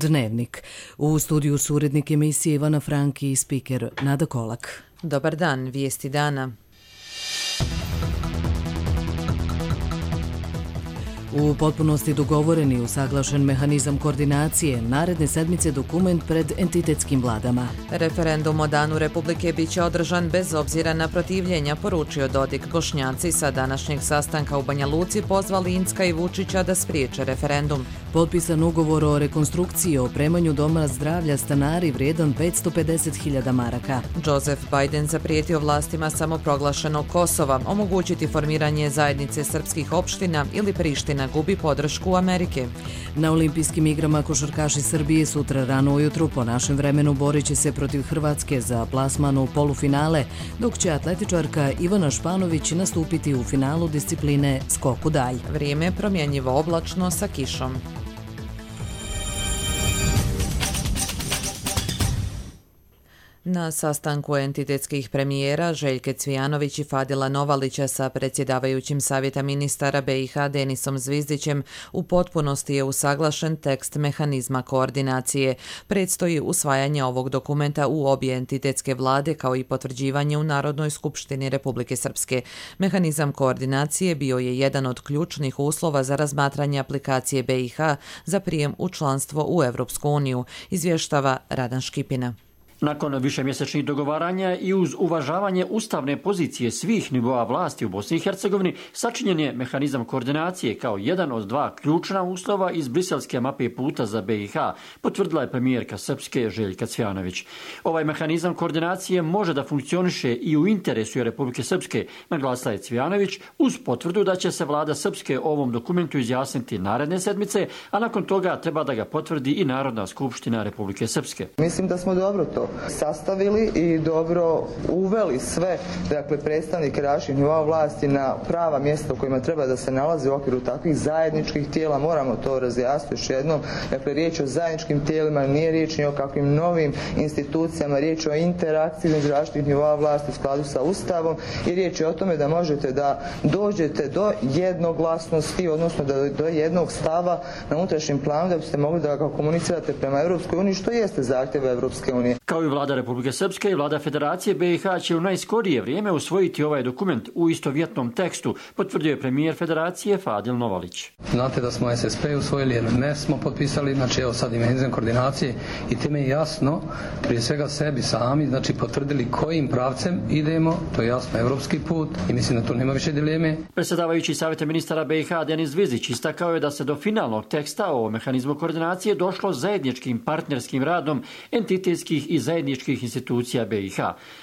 Dnevnik. U studiju su urednik emisije Ivana Franki i spiker Nada Kolak. Dobar dan, vijesti dana. U potpunosti dogovoren i usaglašen mehanizam koordinacije, naredne sedmice dokument pred entitetskim vladama. Referendum o Danu Republike biće održan bez obzira na protivljenja, poručio Dodik. Bošnjaci sa današnjeg sastanka u Banja Luci pozvali Incka i Vučića da spriječe referendum. Potpisan ugovor o rekonstrukciji i opremanju doma zdravlja stanari vrijedan 550.000 maraka. Joseph Biden zaprijetio vlastima samoproglašenog Kosova omogućiti formiranje zajednice srpskih opština ili Priština gubi podršku Amerike. Na olimpijskim igrama košarkaši Srbije sutra rano ujutru po našem vremenu borit će se protiv Hrvatske za plasman u polufinale, dok će atletičarka Ivana Španović nastupiti u finalu discipline skok u dalj. Vrijeme je promjenjivo oblačno sa kišom. Na sastanku entitetskih premijera Željke Cvijanović i Fadila Novalića sa predsjedavajućim savjeta ministara BiH Denisom Zvizdićem u potpunosti je usaglašen tekst mehanizma koordinacije. Predstoji usvajanje ovog dokumenta u obje entitetske vlade kao i potvrđivanje u Narodnoj skupštini Republike Srpske. Mehanizam koordinacije bio je jedan od ključnih uslova za razmatranje aplikacije BiH za prijem u članstvo u Europsku uniju, izvještava Radan Škipina. Nakon višemjesečnih dogovaranja i uz uvažavanje ustavne pozicije svih nivoa vlasti u Bosni i Hercegovini, sačinjen je mehanizam koordinacije kao jedan od dva ključna uslova iz briselske mape puta za BiH, potvrdila je premijerka Srpske Željka Cvijanović. Ovaj mehanizam koordinacije može da funkcioniše i u interesu Republike Srpske, naglasila je Cvijanović, uz potvrdu da će se vlada Srpske o ovom dokumentu izjasniti naredne sedmice, a nakon toga treba da ga potvrdi i Narodna skupština Republike Srpske. Mislim da smo dobro to sastavili i dobro uveli sve, predstavnike različitih nivoa vlasti na prava mjesta u kojima treba da se nalaze u okviru takvih zajedničkih tijela. Moramo to razjasniti još jednom. Riječ o zajedničkim tijelima, nije riječ ni o kakvim novim institucijama, riječ o interakciji između različitih nivoa vlasti u skladu sa Ustavom i riječ je o tome da možete da dođete do jednoglasnosti, odnosno do jednog stava na unutrašnjem planu da biste mogli da ga komunicirate prema Europskoj uniji, što jeste zahtjev Europske unije. Kao i vlada Republike Srpske i vlada Federacije BiH će u najskorije vrijeme usvojiti ovaj dokument u istovjetnom tekstu, potvrdio je premijer Federacije Fadil Novalić. Znate da smo SSP usvojili, MMF smo potpisali, evo sad i mehanizam koordinacije i time je jasno, prije svega sebi sami, potvrdili kojim pravcem idemo, to je jasno evropski put i mislim da tu nema više dileme. Predsjedavajući savjeta ministara BiH Denis Zvizdić istakao je da se do finalnog teksta o mehanizmu koordinacije došlo zajedničkim partnerskim radom entitetskih i zajedničkih institucija BiH.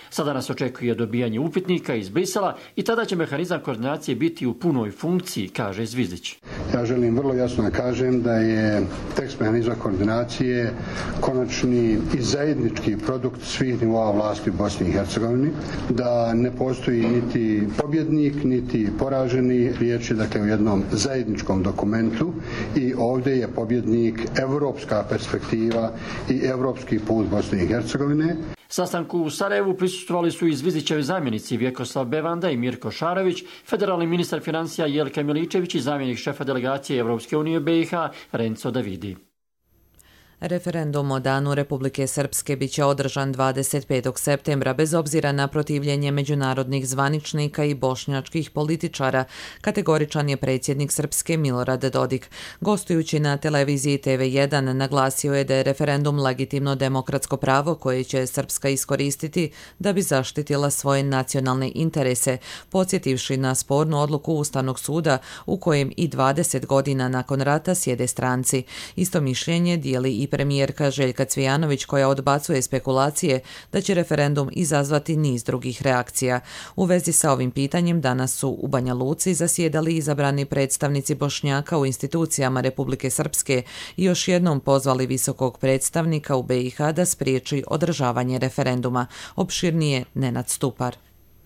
Sada nas očekuje dobijanje upitnika iz Brisela i tada će mehanizam koordinacije biti u punoj funkciji, kaže Zvizdić. Ja želim vrlo jasno da kažem da je tekst mehanizma koordinacije konačni i zajednički produkt svih nivoa vlasti u Bosni i Hercegovini, da ne postoji niti pobjednik, niti poraženi, riječ je o jednom zajedničkom dokumentu i ovdje je pobjednik evropska perspektiva i evropski put Bosne i Hercegovine. Sastanku u Sarajevu prisustvovali su i Zvizdićevi zamjenici Vjekoslav Bevanda i Mirko Šarović, federalni ministar financija Jelka Miličević i zamjenik šefa delegacije Evropske unije BiH Renzo Davidi. Referendum o Danu Republike Srpske biće održan 25. septembra bez obzira na protivljenje međunarodnih zvaničnika i bošnjačkih političara, kategoričan je predsjednik Srpske Milorad Dodik. Gostujući na televiziji TV1 naglasio je da je referendum legitimno demokratsko pravo koje će Srpska iskoristiti da bi zaštitila svoje nacionalne interese, podsjetivši na spornu odluku Ustavnog suda u kojem i 20 godina nakon rata sjede stranci. Isto mišljenje dijeli i premijerka Željka Cvijanović koja odbacuje spekulacije da će referendum izazvati niz drugih reakcija. U vezi sa ovim pitanjem danas su u Banja Luci zasjedali izabrani predstavnici Bošnjaka u institucijama Republike Srpske i još jednom pozvali visokog predstavnika u BiH da spriječi održavanje referenduma. Opširnije Nenad Stupar.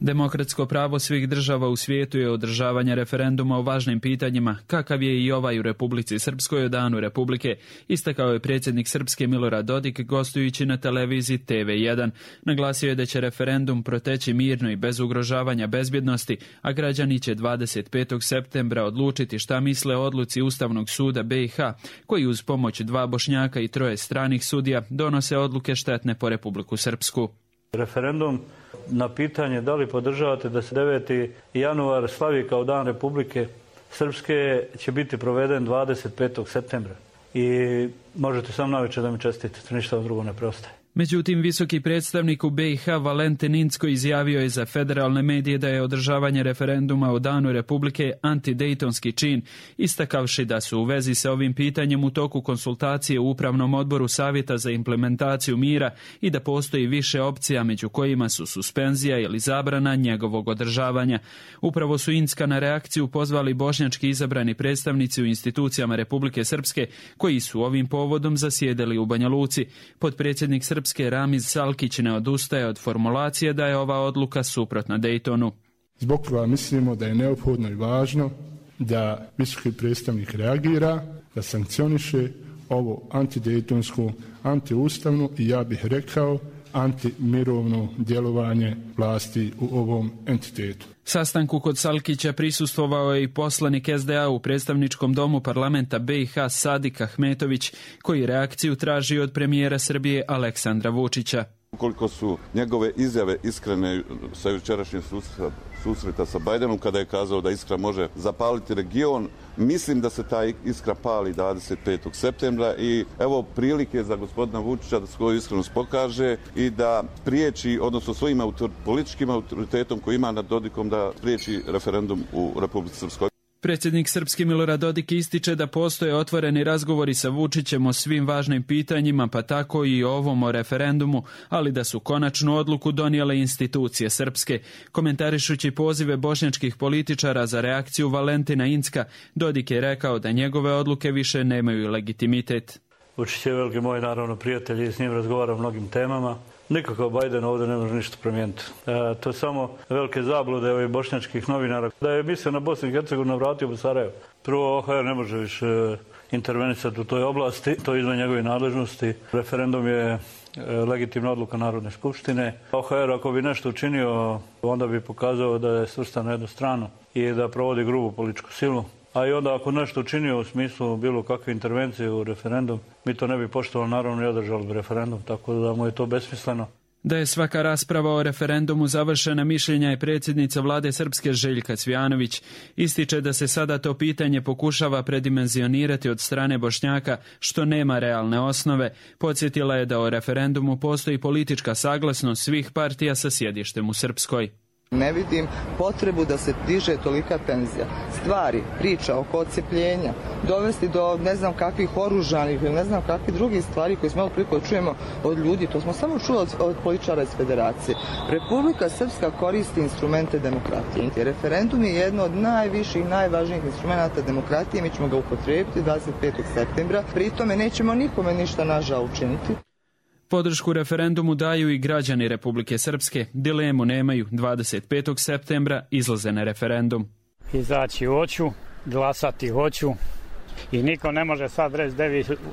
Demokratsko pravo svih država u svijetu je održavanje referenduma o važnim pitanjima, kakav je i ovaj u Republici Srpskoj o Danu Republike, istakao je predsjednik Srpske Milorad Dodik gostujući na televiziji TV1. Naglasio je da će referendum proteći mirno i bez ugrožavanja bezbjednosti, a građani će 25. septembra odlučiti šta misle o odluci Ustavnog suda BiH, koji uz pomoć 2 Bošnjaka i 3 stranih sudija donose odluke štetne po Republiku Srpsku. Referendum na pitanje da li podržavate da se 9. januar slavi kao Dan Republike Srpske će biti proveden 25. septembra. I možete sam navečer da mi čestitete, ništa vam drugo ne preostaje. Međutim, visoki predstavnik u BiH Valentin Incko izjavio je za federalne medije da je održavanje referenduma o Danu Republike antidejtonski čin, istakavši da su u vezi sa ovim pitanjem u toku konsultacije u Upravnom odboru Savjeta za implementaciju mira i da postoji više opcija među kojima su suspenzija ili zabrana njegovog održavanja. Upravo su Incka na reakciju pozvali bošnjački izabrani predstavnici u institucijama Republike Srpske koji su ovim povodom zasjedali u Banja Luci. Potpredsjednik Srpske Ramiz Salkić ne odustaje od formulacije da je ova odluka suprotna Dejtonu. Zbog toga mislimo da je neophodno i važno da visoki predstavnik reagira, da sankcioniše ovo antidejtonsko, antiustavno i ja bih rekao antimirovno djelovanje vlasti u ovom entitetu. Sastanku kod Salkića prisustvovao je i poslanik SDA u predstavničkom domu parlamenta BiH Sadik Ahmetović, koji reakciju traži od premijera Srbije Aleksandra Vučića. Ukoliko su njegove izjave iskrene sa jučerašnjeg susreta sa Bajdenom, kada je kazao da iskra može zapaliti region, mislim da se ta iskra pali 25. septembra i evo prilike za gospodina Vučića da svoju iskrenost pokaže i da priječi, odnosno svojim političkim autoritetom koji ima nad Dodikom, da priječi referendum u Republici Srpskoj. Predsjednik Srpske Milorad Dodik ističe da postoje otvoreni razgovori sa Vučićem o svim važnim pitanjima, pa tako i o ovom o referendumu, ali da su konačnu odluku donijele institucije srpske. Komentarišući pozive bošnjačkih političara za reakciju Valentina Incka, Dodik je rekao da njegove odluke više nemaju legitimitet. Vučić je veliki moj, naravno, prijatelj i s njim razgovara o mnogim temama. Nikakav Bajden ovdje ne može ništa promijeniti. To je samo velike zablude ovih bošnjačkih novinara. Da je mislio na Bosnu i Hercegovinu vratio u Sarajevo. Prvo, OHR ne može više intervenisati u toj oblasti, to je izvan njegove nadležnosti. Referendum je legitimna odluka Narodne skupštine. OHR ako bi nešto učinio, onda bi pokazao da je svrstan na jednu stranu i da provodi grubu političku silu. A i onda ako nešto učinio u smislu bilo kakve intervencije u referendum, mi to ne bi poštovali, naravno i održali bi referendum, tako da mu je to besmisleno. Da je svaka rasprava o referendumu završena, mišljenja je predsjednica vlade Srpske Željka Cvijanović. Ističe da se sada to pitanje pokušava predimenzionirati od strane Bošnjaka, što nema realne osnove. Podsjetila je da o referendumu postoji politička saglasnost svih partija sa sjedištem u Srpskoj. Ne vidim potrebu da se diže tolika tenzija. Stvari, priča oko odcepljenja, dovesti do ne znam kakvih oružanih ili ne znam kakvih drugih stvari koje smo malo priko čujemo od ljudi, to smo samo čuli od političara iz Federacije. Republika Srpska koristi instrumente demokratije. Referendum je jedno od najviših, najvažnijih instrumenta demokratije, mi ćemo ga upotrijebiti 25. septembra, pri tome nećemo nikome ništa nažao učiniti. Podršku referendumu daju i građani Republike Srpske. Dilemu nemaju. 25. septembra izlaze na referendum. Izaći hoću, glasati hoću i niko ne može sad reći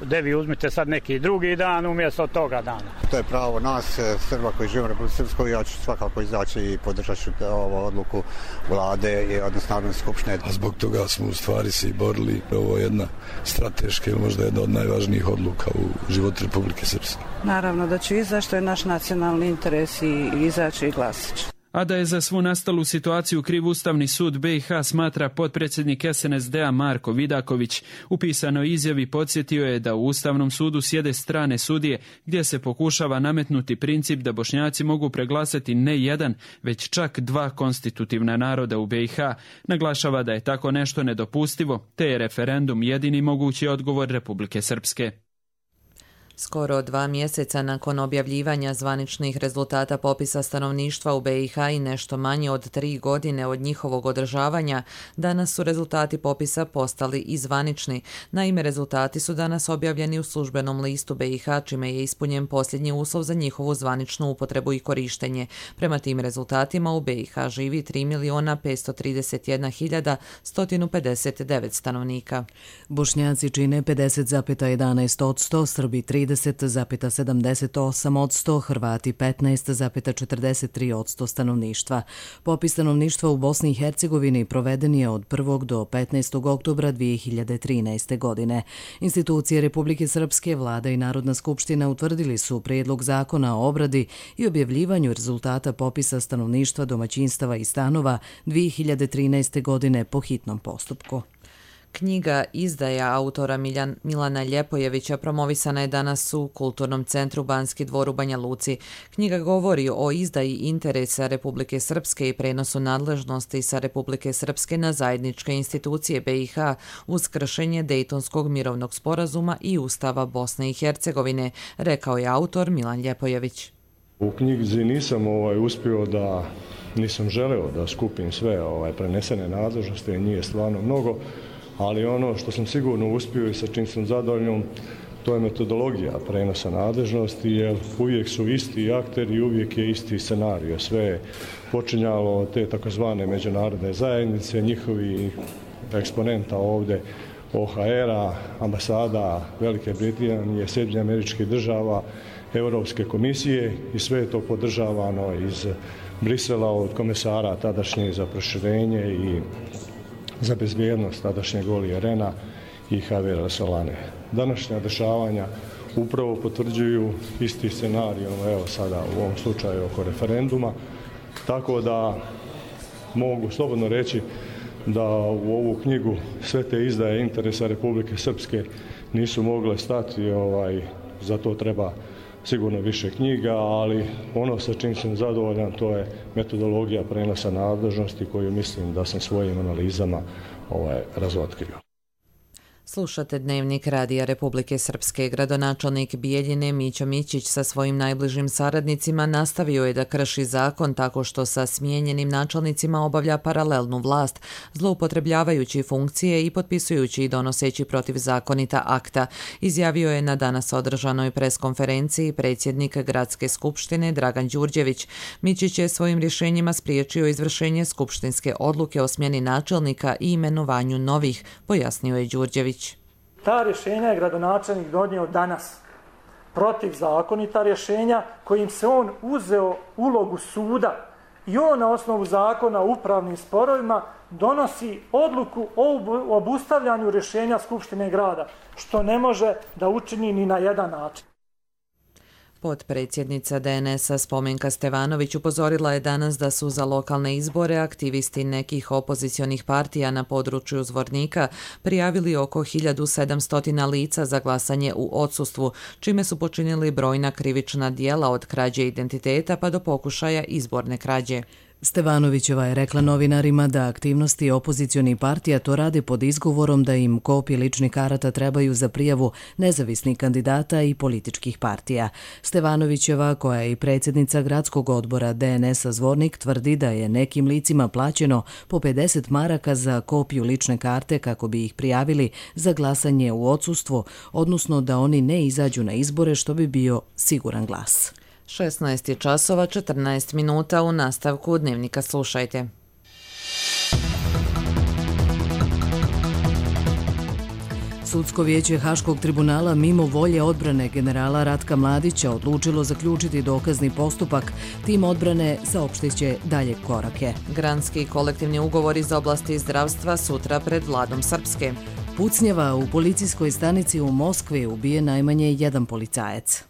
devi uzmite sad neki drugi dan umjesto toga dana. To je pravo nas, Srba koji živimo u Republike Srpskoj, ja ću svakako izaći i podržati ću ovu odluku vlade i odnosno Narodne skupštine. A zbog toga smo u stvari se i borili. Ovo je jedna strateška ili možda jedna od najvažnijih odluka u životu Republike Srpske. Naravno da ću izaći, što je naš nacionalni interes i izaći i glasati. A da je za svu nastalu situaciju kriv Ustavni sud BiH, smatra potpredsjednik SNSD-a Marko Vidaković. U pisanoj izjavi podsjetio je da u Ustavnom sudu sjede strane sudije, gdje se pokušava nametnuti princip da Bošnjaci mogu preglasati ne jedan, već čak 2 konstitutivna naroda u BiH. Naglašava da je tako nešto nedopustivo, te je referendum jedini mogući odgovor Republike Srpske. Skoro 2 mjeseca nakon objavljivanja zvaničnih rezultata popisa stanovništva u BiH i nešto manje od 3 godine od njihovog održavanja, danas su rezultati popisa postali i zvanični. Naime, rezultati su danas objavljeni u službenom listu BiH, čime je ispunjen posljednji uslov za njihovu zvaničnu upotrebu i korištenje. Prema tim rezultatima u BiH živi 3.531.159 stanovnika. Bošnjaci čine 50,11%, Srbi 30,78%, Hrvati 15,43% stanovništva. Popis stanovništva u Bosni i Hercegovini proveden je od 1. do 15. oktobra 2013. godine. Institucije Republike Srpske, Vlada i Narodna skupština utvrdili su prijedlog zakona o obradi i objavljivanju rezultata popisa stanovništva, domaćinstava i stanova 2013. godine po hitnom postupku. Knjiga Izdaja autora Milana Ljepojevića promovisana je danas u Kulturnom centru Banski dvor u Banja Luci. Knjiga govori o izdaji interesa Republike Srpske i prenosu nadležnosti sa Republike Srpske na zajedničke institucije BiH uz kršenje Dejtonskog mirovnog sporazuma i Ustava Bosne i Hercegovine, rekao je autor Milan Ljepojević. U knjizi nisam želeo da skupim sve prenesene nadležnosti, njih je stvarno mnogo, ali ono što sam sigurno uspio i sa čim sam zadovoljan, to je metodologija prenosa nadležnosti, jer uvijek su isti akteri i uvijek je isti scenarij. Sve je počinjalo od te takozvane međunarodne zajednice, njihovi eksponenta ovdje, OHR-a, ambasada Velike Britanije, Sjedinjenih Američkih Država, Europske komisije i sve je to podržavano iz Brisela od komesara tadašnje za proširenje i za bezbjednost tadašnjeg Olija Rehna i Javera Solane. Današnja dešavanja upravo potvrđuju isti scenarij, evo sada u ovom slučaju oko referenduma, tako da mogu slobodno reći da u ovu knjigu sve te izdaje interesa Republike Srpske nisu mogle stati, za to treba sigurno više knjiga, ali ono sa čim sam zadovoljan to je metodologija prenosa nadležnosti koju mislim da sam svojim analizama razotkrio. Slušate Dnevnik Radija Republike Srpske. Gradonačelnik Bijeljine Mićo Mićić sa svojim najbližim saradnicima nastavio je da krši zakon tako što sa smijenjenim načelnicima obavlja paralelnu vlast, zloupotrebljavajući funkcije i potpisujući i donoseći protivzakonita akta, izjavio je na danas održanoj preskonferenciji predsjednik Gradske skupštine Dragan Đurđević. Mićić je svojim rješenjima spriječio izvršenje skupštinske odluke o smjeni načelnika i imenovanju novih, pojasnio je Đurđević. Ta rješenja je gradonačelnik donio danas. Protivzakonita rješenja kojim se on uzeo ulogu suda i on na osnovu zakona o upravnim sporovima donosi odluku o obustavljanju rješenja Skupštine grada, što ne može da učini ni na jedan način. Potpredsjednica DNS-a Spomenka Stevanović upozorila je danas da su za lokalne izbore aktivisti nekih opozicionih partija na području Zvornika prijavili oko 1700 lica za glasanje u odsustvu, čime su počinili brojna krivična djela od krađe identiteta pa do pokušaja izborne krađe. Stevanovićeva je rekla novinarima da aktivnosti opozicionih partija to rade pod izgovorom da im kopije ličnih karata trebaju za prijavu nezavisnih kandidata i političkih partija. Stevanovićeva, koja je i predsjednica gradskog odbora DNS-a Zvornik, tvrdi da je nekim licima plaćeno po 50 maraka za kopiju lične karte kako bi ih prijavili za glasanje u odsustvu, odnosno da oni ne izađu na izbore što bi bio siguran glas. 16:14 u nastavku Dnevnika slušajte. Sudsko vijeće Haškog tribunala mimo volje odbrane generala Ratka Mladića odlučilo zaključiti dokazni postupak. Tim odbrane saopštiće dalje korake. Granski kolektivni ugovor iz oblasti zdravstva sutra pred vladom Srpske. Pucnjava u policijskoj stanici u Moskvi, ubije najmanje jedan policajac.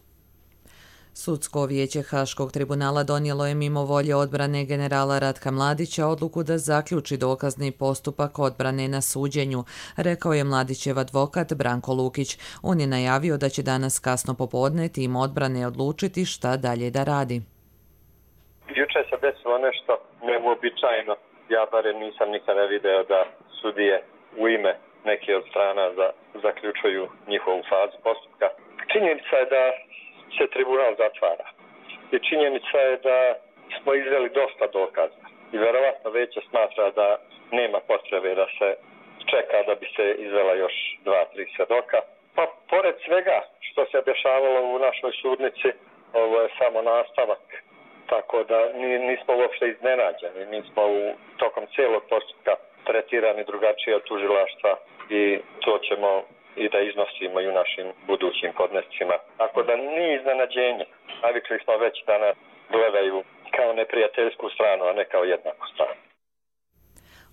Sudsko vijeće Haškog tribunala donijelo je mimo volje odbrane generala Ratka Mladića odluku da zaključi dokazni postupak odbrane na suđenju, rekao je Mladićev advokat Branko Lukić. On je najavio da će danas kasno popodne tim odbrane odlučiti šta dalje da radi. Juče se desilo nešto neuobičajeno. Ja barem nisam nikada video da sudije u ime neke od strana zaključuju njihovu fazu postupka. Činjenica je da se tribunal zatvara. I činjenica je da smo izveli dosta dokaza. I verovatno Veće smatra da nema potrebe da se čeka da bi se izvela još 2-3 svjedoka. Pa pored svega što se dešavalo u našoj sudnici, ovo je samo nastavak. Tako da nismo uopšte iznenađeni. Mi smo tokom cijelog postupka tretirani drugačije od tužilaštva i to ćemo i da iznosimo i u našim budućim podnescima. Tako da nije iznenađenje. Navikli smo već da nas gledaju kao neprijateljsku stranu, a ne kao jednaku stranu.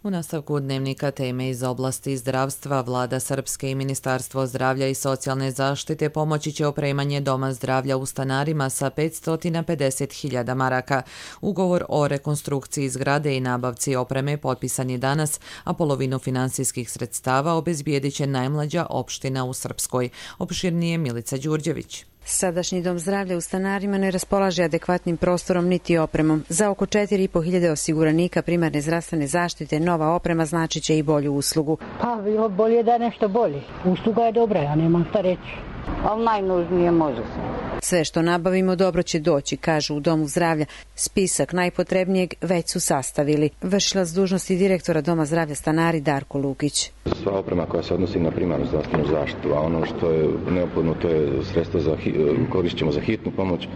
U nastavku dnevnika teme iz oblasti zdravstva, Vlada Srpske i Ministarstvo zdravlja i socijalne zaštite pomoći će opremanje Doma zdravlja u Stanarima sa 550.000 maraka. Ugovor o rekonstrukciji zgrade i nabavci opreme potpisan je danas, a polovinu finansijskih sredstava obezbijedit će najmlađa opština u Srpskoj. Opširnije Milica Đurđević. Sadašnji dom zdravlja u Stanarima ne raspolaže adekvatnim prostorom niti opremom. Za oko 4.500 osiguranika primarne zdravstvene zaštite nova oprema znači će i bolju uslugu. Pa bilo bolje da je nešto bolje. Usluga je dobra, ja nemam šta reći. Ali najnužnije može se. Sve što nabavimo dobro će doći, kažu u Domu zdravlja. Spisak najpotrebnijeg već su sastavili. Vršilac dužnosti direktora Doma zdravlja Stanari Darko Lukić. Sva oprema koja se odnosi na primarnu zdravstvenu zaštitu, a ono što je neophodno to je sredstvo koristit ćemo za hitnu pomoć,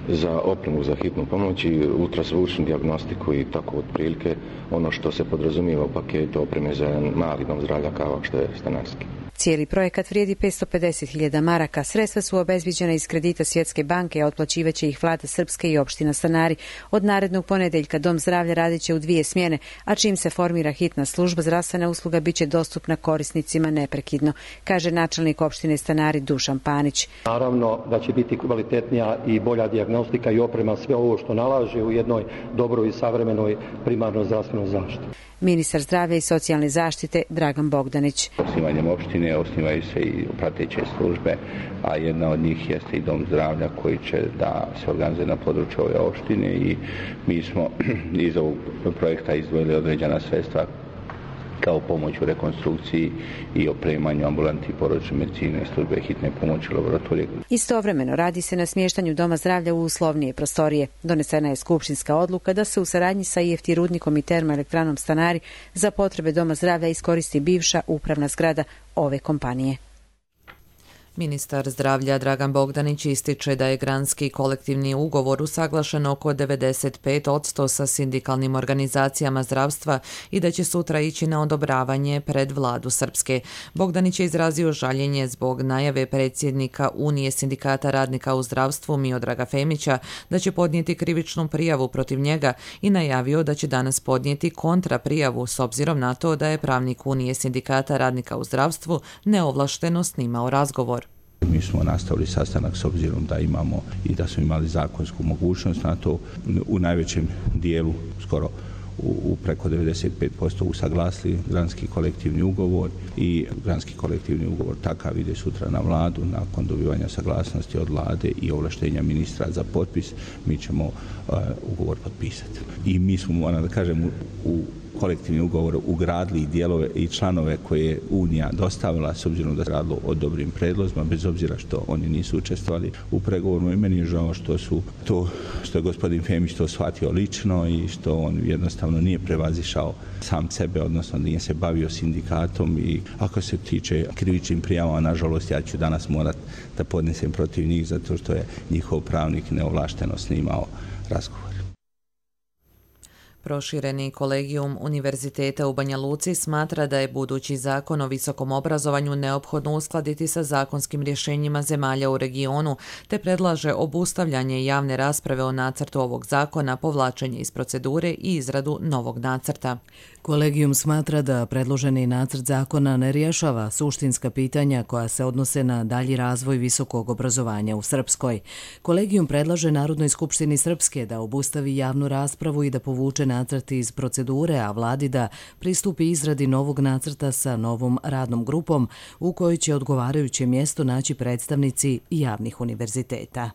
za opremu za hitnu pomoć i ultrazvučnu dijagnostiku i tako otprilike ono što se podrazumijeva u paketu opreme za jedan mali dom zdravlja kao što je Stanarski. Cijeli projekat vrijedi 550.000 maraka. Sredstva su obezviđena iz kredita Svjetske banke, a otplaćivaće ih Vlada Srpske i opština Stanari. Od narednog ponedeljka Dom zdravlja radit će u 2 smjene, a čim se formira hitna služba, zdravstvena usluga bit će dostupna korisnicima neprekidno, kaže načelnik opštine Stanari Dušan Panić. Naravno da će biti kvalitetnija i bolja dijagnostika i oprema, sve ovo što nalaže u jednoj dobroj i savremenoj primarnoj zdravstvenoj zaštiti. Ministar zdravlja i socijalne zaštite Dragan Bogdanić. Osnivanjem opštine osnivaju se i prateće službe, a jedna od njih jeste i dom zdravlja koji će da se organizuje na području ove opštine i mi smo iz ovog projekta izdvojili određena sredstva kao pomoć u rekonstrukciji i opremanju ambulanti porodične medicine, službe hitne pomoći, laboratorije. Istovremeno radi se na smještanju Doma zdravlja u uslovnije prostorije. Donesena je skupštinska odluka da se u saradnji sa IFT rudnikom i termoelektranom Stanari za potrebe Doma zdravlja iskoristi bivša upravna zgrada ove kompanije. Ministar zdravlja Dragan Bogdanić ističe da je granski kolektivni ugovor usaglašen oko 95% sa sindikalnim organizacijama zdravstva i da će sutra ići na odobravanje pred Vladu Srpske. Bogdanić je izrazio žaljenje zbog najave predsjednika Unije sindikata radnika u zdravstvu Miodraga Femića da će podnijeti krivičnu prijavu protiv njega i najavio da će danas podnijeti kontraprijavu s obzirom na to da je pravnik Unije sindikata radnika u zdravstvu neovlašteno snimao razgovor. Mi smo nastavili sastanak s obzirom da imamo i da smo imali zakonsku mogućnost na to. U najvećem dijelu, skoro u preko 95% usaglasili granski kolektivni ugovor i granski kolektivni ugovor takav ide sutra na Vladu. Nakon dobivanja saglasnosti od Vlade i ovlaštenja ministra za potpis, mi ćemo ugovor potpisati. I mi smo, moram da kažem, u kolektivni ugovor ugradili dijelove i članove koje je Unija dostavila s obzirom da se radilo o dobrim predlozima, bez obzira što oni nisu učestvovali u pregovoru. I meni je žao što je gospodin Femić to shvatio lično i što on jednostavno nije prevazišao sam sebe, odnosno nije se bavio sindikatom. I ako se tiče krivičnim prijavama, nažalost, ja ću danas morati da podnesem protiv njih zato što je njihov pravnik neovlašteno snimao razgovor. Prošireni kolegijum Univerziteta u Banja Luci smatra da je budući zakon o visokom obrazovanju neophodno uskladiti sa zakonskim rješenjima zemalja u regionu, te predlaže obustavljanje javne rasprave o nacrtu ovog zakona, povlačenje iz procedure i izradu novog nacrta. Kolegijum smatra da predloženi nacrt zakona ne rješava suštinska pitanja koja se odnose na dalji razvoj visokog obrazovanja u Srpskoj. Kolegijum predlaže Narodnoj skupštini Srpske da obustavi javnu raspravu i da povuče nacrt iz procedure, a Vladi da pristupi izradi novog nacrta sa novom radnom grupom u kojoj će odgovarajuće mjesto naći predstavnici javnih univerziteta.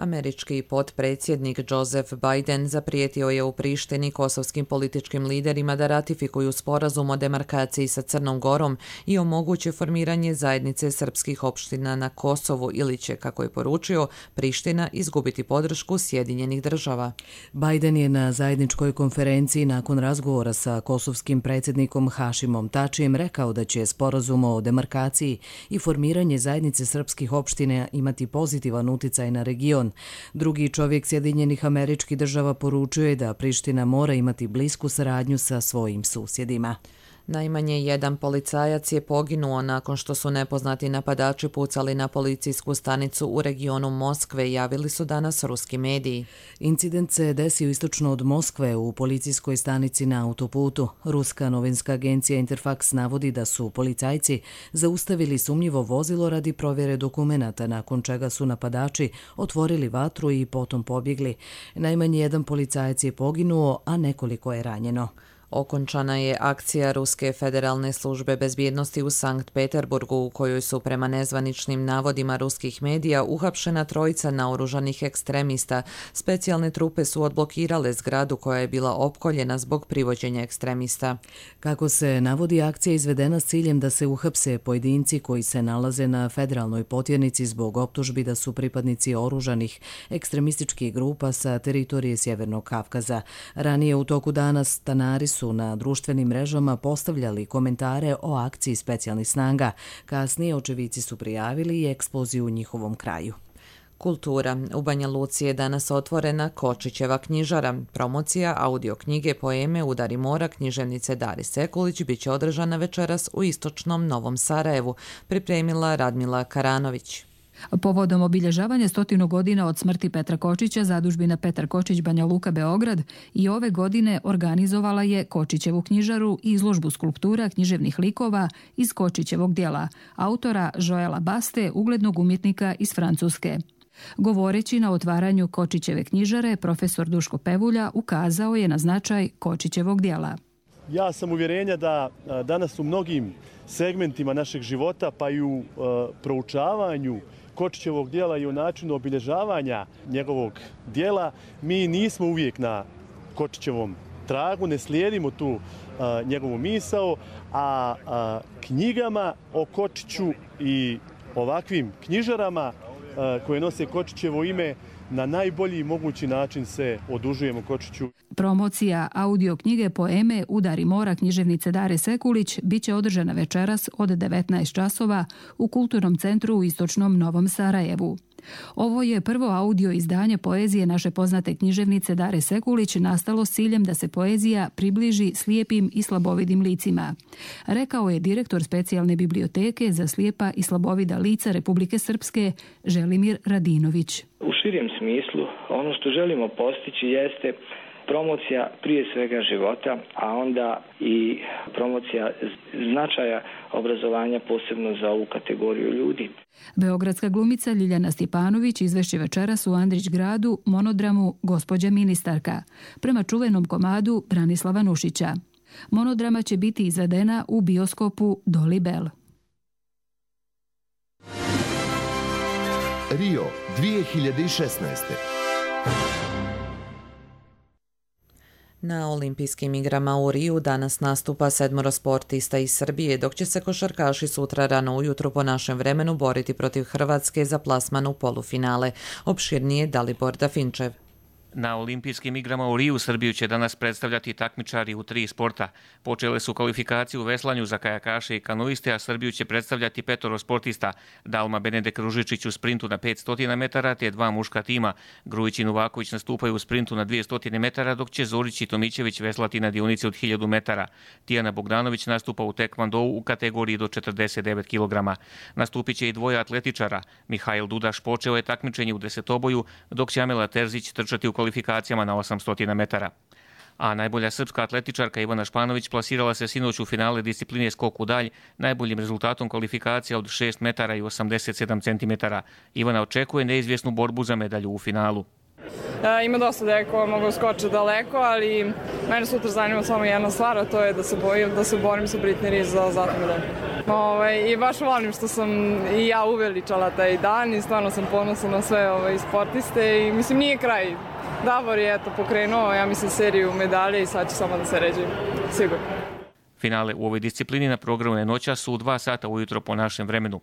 Američki potpredsjednik Joseph Biden zaprijetio je u Prištini kosovskim političkim liderima da ratifikuju sporazum o demarkaciji sa Crnom Gorom i omoguće formiranje zajednice srpskih opština na Kosovu ili će, kako je poručio, Priština izgubiti podršku Sjedinjenih država. Biden je na zajedničkoj konferenciji nakon razgovora sa kosovskim predsjednikom Hašimom Tačijem rekao da će sporazum o demarkaciji i formiranje zajednice srpskih opština imati pozitivan uticaj na region. Drugi čovjek Sjedinjenih Američkih Država poručio je da Priština mora imati blisku saradnju sa svojim susjedima. Najmanje jedan policajac je poginuo nakon što su nepoznati napadači pucali na policijsku stanicu u regionu Moskve, javili su danas ruski mediji. Incident se desio istočno od Moskve u policijskoj stanici na autoputu. Ruska novinska agencija Interfax navodi da su policajci zaustavili sumnjivo vozilo radi provjere dokumenata, nakon čega su napadači otvorili vatru i potom pobjegli. Najmanje jedan policajac je poginuo, a nekoliko je ranjeno. Okončana je akcija Ruske federalne službe bezbjednosti u Sankt Peterburgu u kojoj su prema nezvaničnim navodima ruskih medija uhapšena trojica naoružanih ekstremista. Specijalne trupe su odblokirale zgradu koja je bila opkoljena zbog privođenja ekstremista. Kako se navodi, akcija izvedena s ciljem da se uhapse pojedinci koji se nalaze na federalnoj potjernici zbog optužbi da su pripadnici oružanih ekstremističkih grupa sa teritorije Sjevernog Kavkaza. Ranije u toku dana stanari su na društvenim mrežama postavljali komentare o akciji specijalnih snaga. Kasnije očevici su prijavili i eksploziju u njihovom kraju. Kultura. U Banja Luci je danas otvorena Kočićeva knjižara. Promocija audio knjige poeme Udari mora književnice Dari Sekulić biće održana večeras u istočnom Novom Sarajevu, pripremila Radmila Karanović. Povodom obilježavanja 100 godina od smrti Petra Kočića, zadužbina Petar Kočić Banja Luka Beograd i ove godine organizovala je Kočićevu knjižaru i izložbu skulptura književnih likova iz Kočićevog djela, autora Joela Baste, uglednog umjetnika iz Francuske. Govoreći na otvaranju Kočićeve knjižare, profesor Duško Pevulja ukazao je na značaj Kočićevog djela. Ja sam uvjerenja da danas u mnogim segmentima našeg života, pa i u proučavanju Kočićevog djela i u načinu obilježavanja njegovog djela, mi nismo uvijek na Kočićevom tragu, ne slijedimo tu njegovu misao, a knjigama o Kočiću i ovakvim knjižarama koje nose Kočićevo ime na najbolji mogući način se odužujemo Kočiću. Promocija audio knjige poeme Udari mora književnice Dare Sekulić biće održana večeras od 19 časova u Kulturnom centru u istočnom Novom Sarajevu. Ovo je prvo audio izdanje poezije naše poznate književnice Dare Sekulić nastalo s ciljem da se poezija približi slijepim i slabovidim licima, rekao je direktor specijalne biblioteke za slijepa i slabovida lica Republike Srpske Želimir Radinović. U širem smislu ono što želimo postići jeste promocija prije svega života, a onda i promocija značaja obrazovanja posebno za ovu kategoriju ljudi. Beogradska glumica Ljiljana Stjepanović izvešće večeras u Andrić gradu monodramu Gospođa ministarka, prema čuvenom komadu Branislava Nušića. Monodrama će biti izvedena u bioskopu Dolly Bell. Rio 2016. Na olimpijskim igrama u Riju danas nastupa 7 sportista iz Srbije, dok će se košarkaši sutra rano ujutru po našem vremenu boriti protiv Hrvatske za plasman u polufinale. Opširnije Dalibor Dafinčev. Na olimpijskim igrama u Riju Srbiju će danas predstavljati takmičari u 3 sporta. Počele su kvalifikacije u veslanju za kajakaše i kanuiste, a Srbiju će predstavljati 5 sportista. Dalma Benedek Ružičić u sprintu na 500 metara, te 2 muška tima. Grujić i Novaković nastupaju u sprintu na 200 metara, dok će Zorić i Tomićević veslati na dionici od 1000 metara. Tijana Bogdanović nastupa u tekvandou u kategoriji do 49 kg. Nastupit će i 2 atletičara. Mihajl Dudaš počeo je takmičenje u desetoboju, dok će Amela Terzić trčati u kvalifikacijama na 800 metara. A najbolja srpska atletičarka Ivana Španović plasirala se sinoć u finale discipline skok u dalj najboljim rezultatom kvalifikacija od 6 metara i 87 centimetara. Ivana očekuje neizvjesnu borbu za medalju u finalu. Ima dosta dekova, mogu skočiti daleko, ali mene sutra zanima samo jedna stvar, a to je da se borim sa Britney Rees za zlatnu medalju. I baš volim što sam i ja uveličala taj dan i stvarno sam ponosna na sve sportiste i mislim nije kraj. Davor je pokrenuo, ja mislim, seriju medalje i sad će samo da se ređe, sigurno. Finale u ovoj disciplini na programu je noćas u 2 sata ujutro po našem vremenu.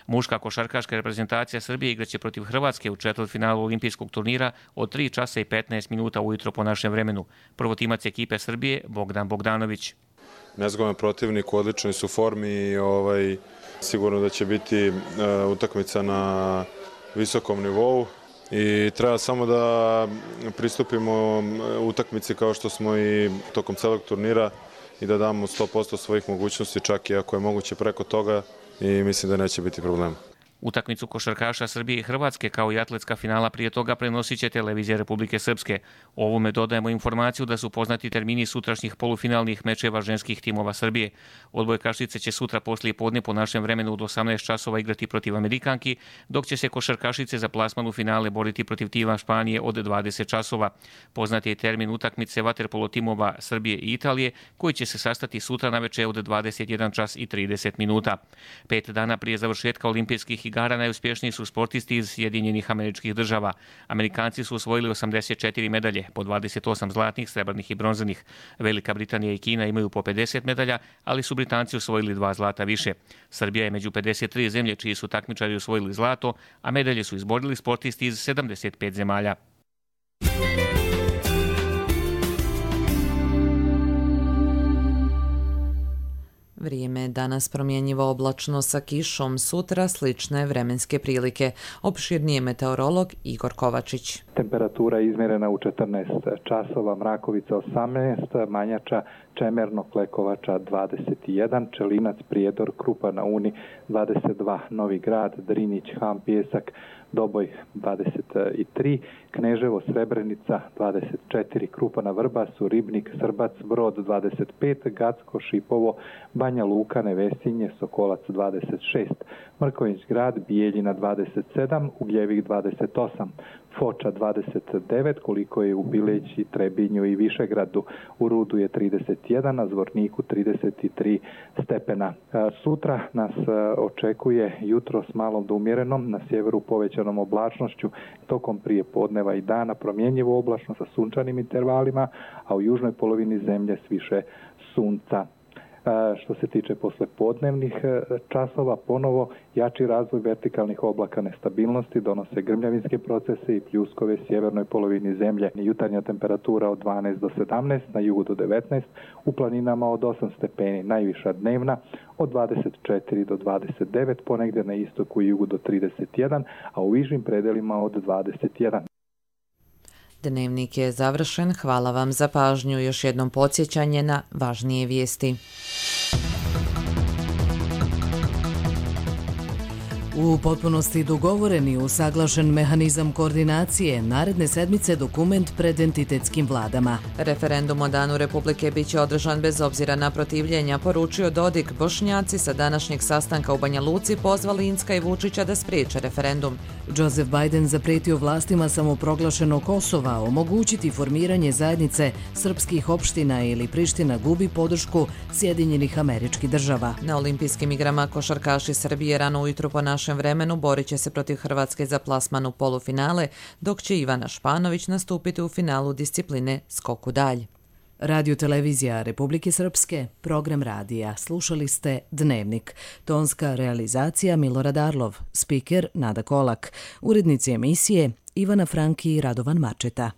Muška košarkaška reprezentacija Srbije igraće protiv Hrvatske u četvrtfinalu olimpijskog turnira od 3 časa i 15 minuta ujutro po našem vremenu. Prvotimac ekipe Srbije Bogdan Bogdanović. Nezgodan protivnik, u odličnoj su formi i sigurno da će biti utakmica na visokom nivou i treba samo da pristupimo utakmici kao što smo i tokom celog turnira i da damo 100% svojih mogućnosti, čak i ako je moguće preko toga, i mislim da neće biti problema. Utakmicu košarkaša Srbije i Hrvatske kao i atletska finala prije toga prenosit će televizija Republike Srpske. Ovome dodajemo informaciju da su poznati termini sutrašnjih polufinalnih mečeva ženskih timova Srbije. Odbojkašice će sutra poslije podne po našem vremenu od 18 časova igrati protiv Amerikanki, dok će se košarkašice za plasman u finale boriti protiv tima Španije od 20 časova. Poznati je termin utakmice vaterpolo timova Srbije i Italije, koji će se sastati sutra na večer od 21 čas i 30 minuta. 5 dana prije završetka olimpijskih igara najuspješniji su sportisti iz Sjedinjenih Američkih Država. Amerikanci su osvojili 84 medalje, po 28 zlatnih, srebrnih i bronzanih. Velika Britanija i Kina imaju po 50 medalja, ali su Britanci osvojili 2 zlata više. Srbija je među 53 zemlje čiji su takmičari osvojili zlato, a medalje su izborili sportisti iz 75 zemalja. Vrijeme danas promjenjivo oblačno sa kišom, sutra slične vremenske prilike. Opširnije meteorolog Igor Kovačić. Temperatura izmjerena u 14 časova, Mrakovica 18, Manjača, Čemerno, Klekovača 21, Čelinac, Prijedor, Krupa na Uni 22, Novi Grad, Drinić, Ham, Pijesak, Doboj 23, Kneževo, Srebrenica 24, Krupa na Vrbasu, Ribnik, Srbac, Brod 25, Gacko, Šipovo, Banja Luka, Nevesinje, Sokolac 26, Mrkonjić Grad, Bijeljina 27, Ugljevik 28, Foča 29, koliko je u Bileći, Trebinju i Višegradu. U Rudu je 31, na Zvorniku 33 stepena. Sutra nas očekuje jutro s malom do umjerenom, na sjeveru povećanom oblačnošću, tokom prije podneva i dana promjenjivo oblačno sa sunčanim intervalima, a u južnoj polovini zemlje s više sunca. Što se tiče poslepodnevnih časova, ponovo jači razvoj vertikalnih oblaka nestabilnosti donose grmljavinske procese i pljuskove sjevernoj polovini zemlje. Jutarnja temperatura od 12 do 17, na jugu do 19, u planinama od 8 stepeni, najviša dnevna od 24 do 29, ponegdje na istoku i jugu do 31, a u višim predelima od 21. Dnevnik je završen. Hvala vam za pažnju. Još jednom podsjećanje na važnije vijesti. U potpunosti dogovoren i usaglašen mehanizam koordinacije, naredne sedmice dokument pred entitetskim vladama. Referendum o Danu Republike biće održan bez obzira na protivljenja, poručio Dodik. Bošnjaci sa današnjeg sastanka u Banja Luci pozvali Incka i Vučića da spriječe referendum. Joseph Biden zapretio vlastima samoproglašenog Kosova omogućiti formiranje zajednice srpskih opština ili Priština gubi podršku Sjedinjenih Američkih Država. Na olimpijskim igrama košarkaši Srbije rano ujutro po našem vremenu borit će se protiv Hrvatske za plasman u polufinale, dok će Ivana Španović nastupiti u finalu discipline skok u dalj. Radio televizija Republike Srpske, program radija. Slušali ste Dnevnik. Tonska realizacija Milorad Arlov, spiker Nada Kolak, urednici emisije Ivana Franki i Radovan Mačeta.